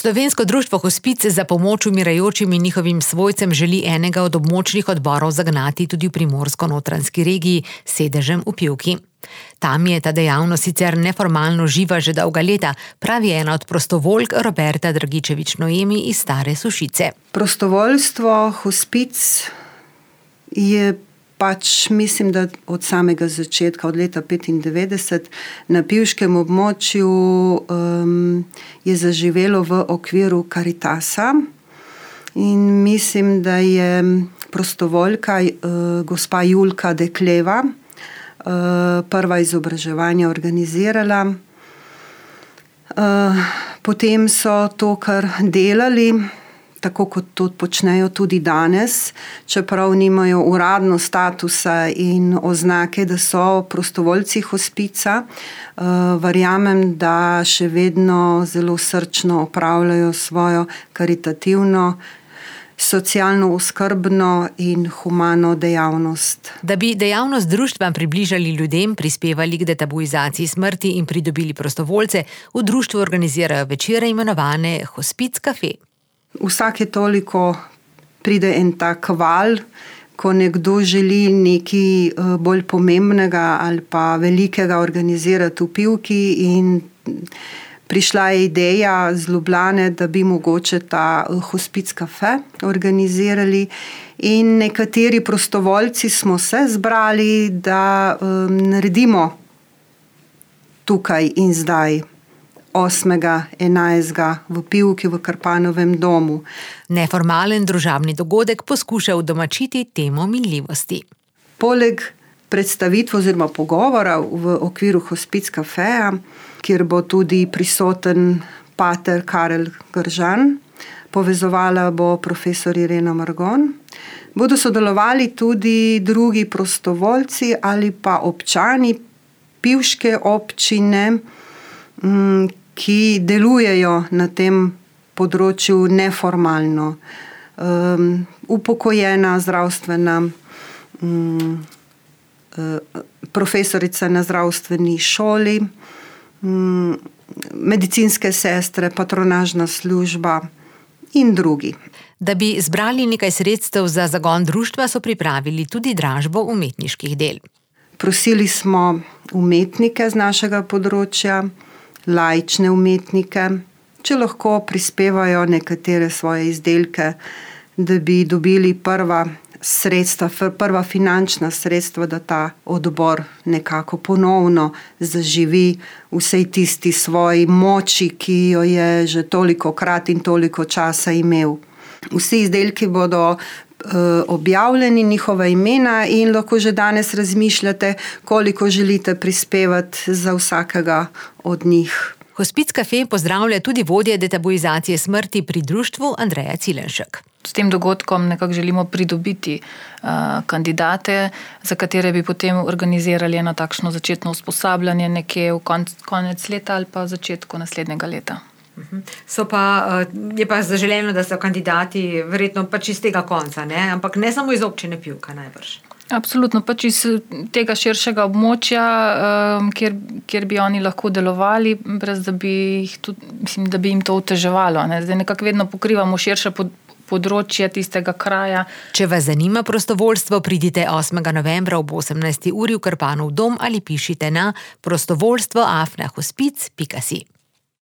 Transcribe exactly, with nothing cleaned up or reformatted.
Slovensko društvo Hospic za pomoč umirajočim in njihovim svojcem želi enega od območnih odborov zagnati tudi v Primorsko-notranjski regiji s sedežem v Pivki. Tam je ta dejavnost sicer neformalno živa že dolga leta, pravi ena od prostovoljk Roberta Dragičević-Noemi iz Stare Sušice. Prostovoljstvo Hospic je pač, mislim, da od samega začetka, od leta petindevetdeset, na pivškem območju um, je zaživelo v okviru Karitasa in mislim, da je prostovoljka uh, gospa Julka Dekleva uh, prva izobraževanja organizirala. Uh, potem so to kar delali, tako kot to počnejo tudi danes, čeprav nimajo uradno statusa in oznake, da so prostovoljci Hospica. Uh, verjamem, da še vedno zelo srčno opravljajo svojo karitativno, socialno oskrbno in humano dejavnost. Da bi dejavnost društva približali ljudem, prispevali k detabuizaciji smrti in pridobili prostovoljce, v društvu organizirajo večere imenovane Hospic Cafe. Vsake toliko pride en tak val, ko nekdo želi nekaj bolj pomembnega ali pa velikega organizirati v Pivki, in prišla je ideja z Ljubljane, da bi mogoče ta Hospic Cafe organizirali, in nekateri prostovoljci smo se zbrali, da um, naredimo tukaj in zdaj osmega enajstega v Pivki v Krpanovem domu. Neformalen družabni dogodek poskuša udomačiti temo minljivosti. Poleg predstavitve oziroma pogovora v okviru Hospic Cafeja, kjer bo tudi prisoten pater Karel Gržan, povezovala bo profesor Irena Margon, bodo sodelovali tudi drugi prostovoljci ali pa občani pivške občine, ki delujejo na tem področju neformalno. Um, upokojena zdravstvena um, profesorica na zdravstveni šoli, um, medicinske sestre, patronažna služba in drugi. Da bi zbrali nekaj sredstev za zagon društva, so pripravili tudi dražbo umetniških del. Prosili smo umetnike z našega področja, laične umetnike, če lahko prispevajo nekatere svoje izdelke, da bi dobili prva sredstva, prva finančna sredstva, da ta odbor nekako ponovno zaživi vsej tisti svoji moči, ki jo je že toliko krat in toliko časa imel. Vsi izdelki bodo objavljeni, njihova imena, in lahko že danes razmišljate, koliko želite prispevati za vsakega od njih. Hospic Cafe pozdravlja tudi vodja detabuizacije smrti pri društvu Andreja Cilenšek. S tem dogodkom nekako želimo pridobiti uh, kandidate, za katere bi potem organizirali eno takšno začetno usposabljanje nekje v konc, konec leta ali pa začetku naslednjega leta. So pa, je pa zaželeno, da so kandidati verjetno pač iz tega konca, ne? Ampak ne samo iz občine Pivka najbrž. Absolutno, pač iz tega širšega območja, kjer, kjer bi oni lahko delovali, brez da bi, jih tudi, mislim, da bi jim to oteževalo. Ne? Zdaj nekako vedno pokrivamo širše pod, področje tistega kraja. Če vas zanima prostovoljstvo, pridite osmega novembra ob osemnajsti uri v Krpanov dom ali pišite na prostovoljstvo afna hospic pika si.